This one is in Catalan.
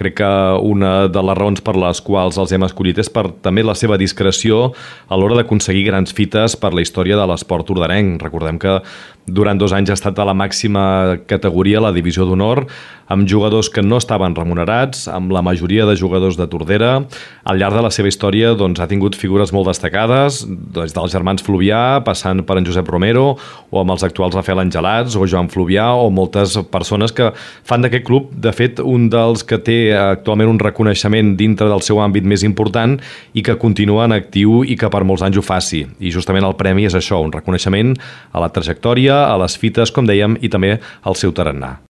Crec que una de les raons per les quals els hem escollit és per també la seva discreció a l'hora d'aconseguir grans fites per la història de l'esport tordarenc. Recordem que durant 2 anys ha estat a la màxima categoria, la divisió d'honor, amb jugadors que no estaven remunerats, amb la majoria de jugadors de Tordera. Al llarg de la seva història ha tingut figures molt destacades, des dels germans Fluvià, passant per en Josep Romero, o amb els actuals Rafael Angelats, o Joan Fluvià, o moltes persones que fan d'aquest club, de fet, un dels que té actualment un reconeixement dintre del seu àmbit més important i que continua en actiu i que per molts anys ho faci. I justament el premi és això, un reconeixement a la trajectòria, a les fites, com dèiem, i també al seu tarannà.